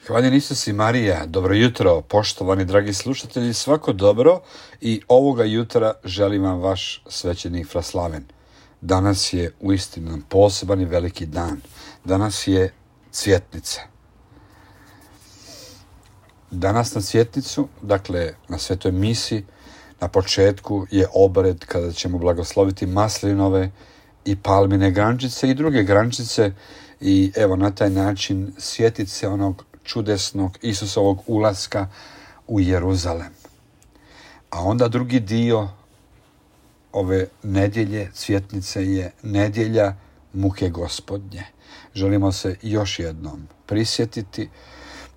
Hvaljen Isus i Marija, dobro jutro, poštovani dragi slušatelji, svako dobro i ovoga jutra želim vam vaš svećenik Fraslaven. Danas je uistinu poseban i veliki dan. Danas je Cvjetnica. Danas na Cvjetnicu, dakle na Svetoj misi, na početku je obred kada ćemo blagosloviti maslinove i palmine grančice i druge grančice i evo na taj način sjetit se onog čudesnog Isusovog ulaska u Jeruzalem. A onda drugi dio ove nedjelje Cvjetnice je nedjelja muke Gospodnje. Želimo se još jednom prisjetiti,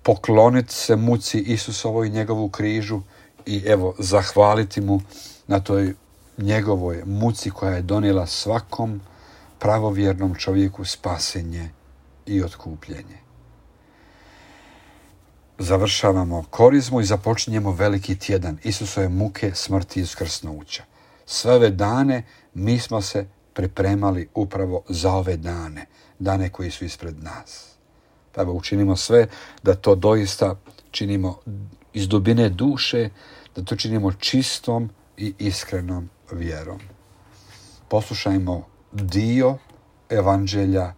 pokloniti se muci Isusovoj i njegovu križu i evo zahvaliti mu na toj njegovoj muci koja je donijela svakom pravovjernom čovjeku spasenje i otkupljenje. Završavamo korizmu i započinjemo veliki tjedan Isusove muke, smrti i uskrsnuća. Sve ove dane mi smo se pripremali upravo za ove dane, dane koji su ispred nas. Pa evo učinimo sve da to doista činimo iz dubine duše, da to činimo čistom i iskrenom vjerom. Poslušajmo dio evanđelja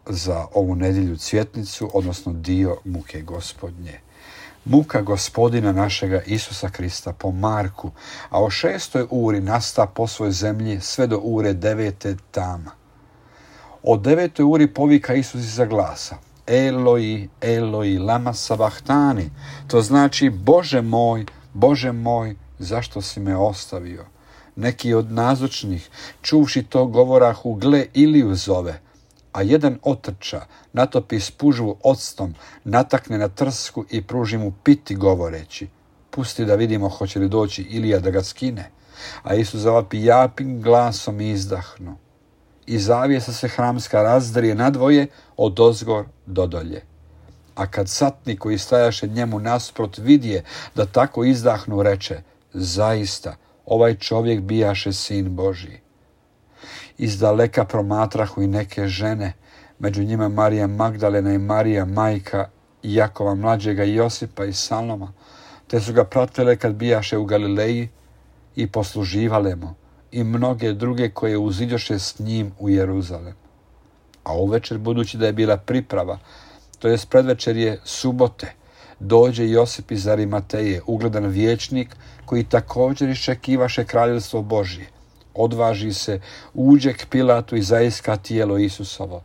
za ovu nedjelju Cvjetnicu, odnosno dio muke Gospodnje. Muka Gospodina našega Isusa Krista po Marku, a o 6. uri nasta po svoj zemlji sve do ure 9. tama. O 9. uri povika Isus iza glasa: Eloi, Eloi, lama sabachtani. To znači Bože moj, zašto si me ostavio? Neki od nazočnih, čuvši to, govorahu, gle, Iliju zove. A jedan otrča, natopi spužvu octom, natakne na trsku i pruži mu piti govoreći: pusti da vidimo hoće li doći Ilija da ga skine. A Isus zavapi japim glasom i izdahnu. I zavjesa se hramska razdrije nadvoje odozgor do dolje. A kad satnik koji stajaše njemu nasprot vidje da tako izdahnu, reče: zaista, ovaj čovjek bijaše sin Božji. Izdaleka promatrahu i neke žene, među njima Marija Magdalena i Marija, majka Jakova mlađega i Josipa i Saloma, te su ga pratile kad bijaše u Galileji i posluživale mu, i mnoge druge koje uziđoše s njim u Jeruzalem. A uvečer, budući da je bila priprava, to jest predvečer je subote, dođe Josip iz Arimateje, ugledan vijećnik koji također iščekivaše kraljevstvo Božje. Odvaži se, uđe k Pilatu i zaiska tijelo Isusovo.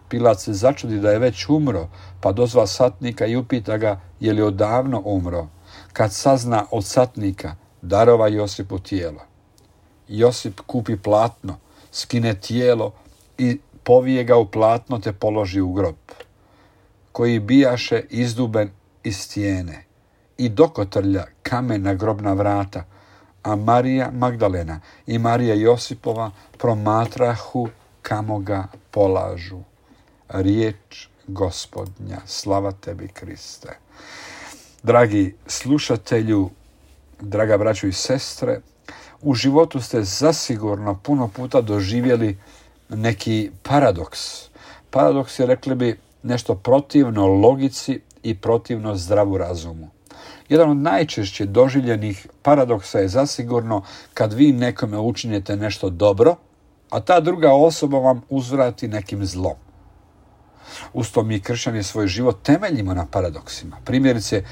Pilat se začudi da je već umro, pa dozva satnika i upita ga je li odavno umro. Kad sazna od satnika, darova Josipu tijelo. Josip kupi platno, skine tijelo i povije ga u platno te položi u grob, koji bijaše izduben iz stijene, i dokotrlja kamen na grobna vrata. A Marija Magdalena i Marija Josipova promatrahu kamo ga polažu. Riječ Gospodnja, slava tebi Kriste. Dragi slušatelju, draga braćo i sestre, u životu ste zasigurno puno puta doživjeli neki paradoks. Paradoks je, rekli bi, nešto protivno logici i protivno zdravu razumu. Jedan od najčešće doživljenih paradoksa je zasigurno kad vi nekome učinite nešto dobro, a ta druga osoba vam uzvrati nekim zlom. Usto mi kršćani svoj život temeljimo na paradoksima. Primjerice,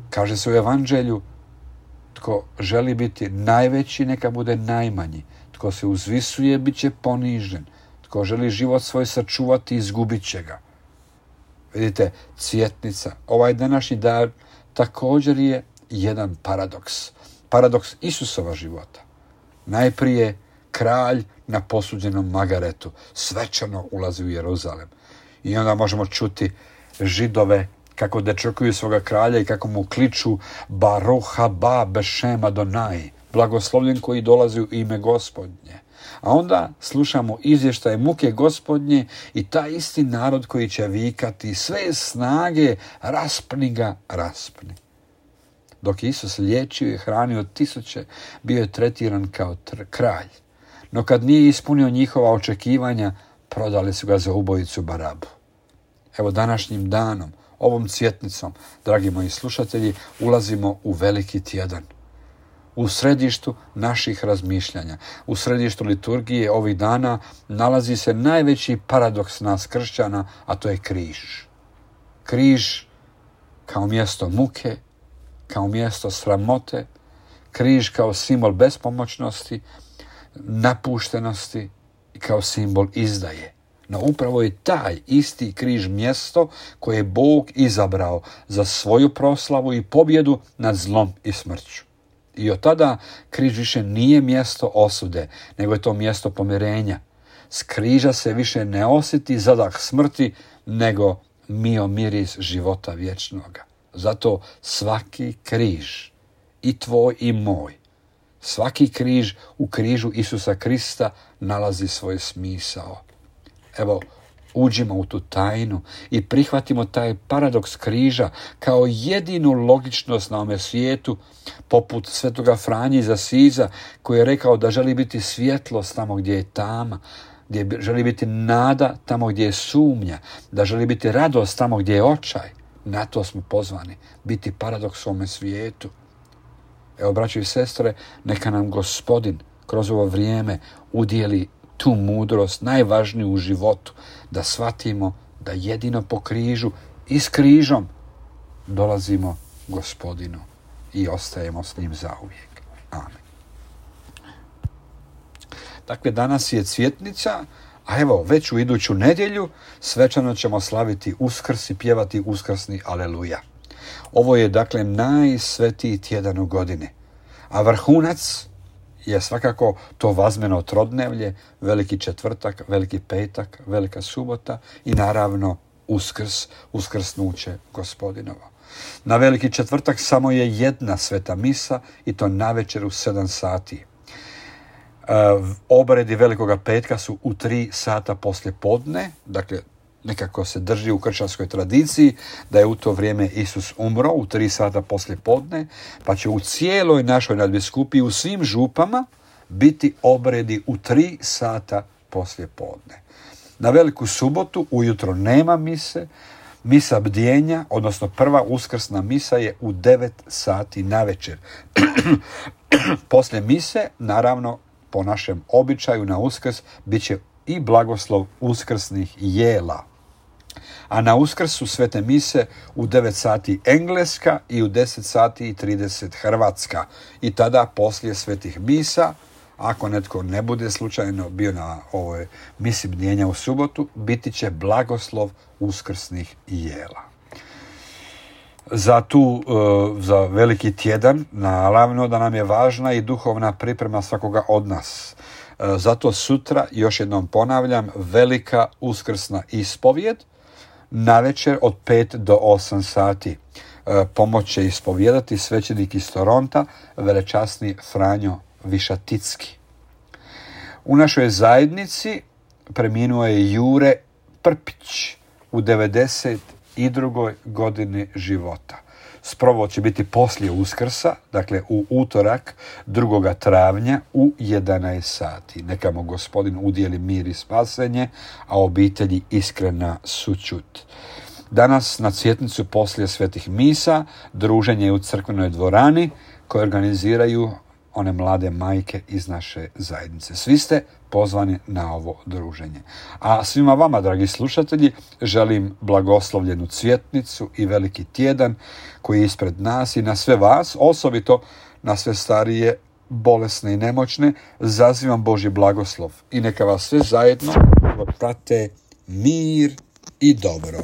kaže se u evanđelju: tko želi biti najveći, neka bude najmanji. Tko se uzvisuje, bit će ponižen. Tko želi život svoj sačuvati, izgubit će ga. Vidite, Cvjetnica, ovaj današnji dan, također je jedan paradoks. Paradoks Isusova života. Najprije kralj na posuđenom magaretu svečano ulazi u Jeruzalem. I onda možemo čuti Židove kako dečekuju svoga kralja i kako mu kliču: Baruch haba bešem Adonai, blagoslovljen koji dolazi u ime Gospodnje. A onda slušamo izvještaje muke Gospodnje i taj isti narod koji će vikati: sve snage, raspni ga, raspni. Dok je Isus liječio i hranio tisuće, bio je tretiran kao kralj. No kad nije ispunio njihova očekivanja, prodali su ga za ubojicu Barabu. Evo današnjim danom, ovom cvjetnicom, dragi moji slušatelji, ulazimo u veliki tjedan. U središtu naših razmišljanja, u središtu liturgije ovih dana nalazi se najveći paradoks nas kršćana, a to je križ. Križ kao mjesto muke, kao mjesto sramote, križ kao simbol bespomoćnosti, napuštenosti i kao simbol izdaje. No upravo je taj isti križ mjesto koje je Bog izabrao za svoju proslavu i pobjedu nad zlom i smrću. I od tada križ više nije mjesto osude, nego je to mjesto pomirenja. S križa se više ne osjeti zadah smrti, nego mio miris života vječnoga. Zato svaki križ, i tvoj i moj, svaki križ u križu Isusa Krista nalazi svoj smisao. Evo, uđimo u tu tajnu i prihvatimo taj paradoks križa kao jedinu logičnost na ovome svijetu, poput svetoga Franje iz Asiza, koji je rekao da želi biti svjetlost tamo gdje je tama, gdje želi biti nada tamo gdje je sumnja, da želi biti radost tamo gdje je očaj. Na to smo pozvani, biti paradoks u ovome svijetu. Evo, braćo i sestre, neka nam Gospodin kroz ovo vrijeme udijeli tu mudrost, najvažniju u životu, da shvatimo da jedino po križu i s križom dolazimo Gospodinu i ostajemo s njim zauvijek. Amen. Dakle, danas je cvjetnica, a evo, već u iduću nedjelju svečano ćemo slaviti Uskrs i pjevati uskrsni Aleluja. Ovo je, dakle, najsvetiji tjedan u godini, a vrhunac je svakako to vazmeno trodnevlje, veliki četvrtak, veliki petak, velika subota i naravno Uskrs, uskrsnuće Gospodinovo. Na veliki četvrtak samo je jedna sveta misa i to navečer u 7 sati. Obredi velikoga petka su u 3 sata poslije podne, dakle nekako se drži u kršćanskoj tradiciji da je u to vrijeme Isus umro u 3 sata poslije podne, pa će u cijeloj našoj nadbiskupiji, u svim župama, biti obredi u 3 sata poslije podne. Na veliku subotu ujutro nema mise, misa bdjenja, odnosno prva uskrsna misa je u 9 sati navečer. Poslije mise, naravno, po našem običaju na Uskrs, bit će i blagoslov uskrsnih jela. A na Uskrs su svete mise u 9 sati engleska i u 10 sati i 30 hrvatska. I tada poslije svetih misa, ako netko ne bude slučajno bio na ovoj misi bdjenja u subotu, biti će blagoslov uskrsnih jela. Za veliki tjedan, naravno da nam je važna i duhovna priprema svakoga od nas. Zato sutra, još jednom ponavljam, velika uskrsna ispovjed, navečer od 5 do 8 sati. Pomoć će ispovjedati svećenik iz Toronta, velečasni Franjo Višaticki. U našoj zajednici preminuo je Jure Prpić u 92. godini života. Sprovod će biti poslije Uskrsa, dakle u utorak 2. travnja u 11 sati. Neka mu Gospodin udijeli mir i spasenje, a obitelji iskrena sućut. Danas na cvjetnicu poslije svetih misa druženje je u crkvenoj dvorani koje organiziraju one mlade majke iz naše zajednice. Svi ste pozvani na ovo druženje. A svima vama, dragi slušatelji, želim blagoslovljenu cvjetnicu i veliki tjedan koji je ispred nas i na sve vas, osobito na sve starije, bolesne i nemoćne, zazivam Božji blagoslov i neka vas sve zajedno prate mir i dobro.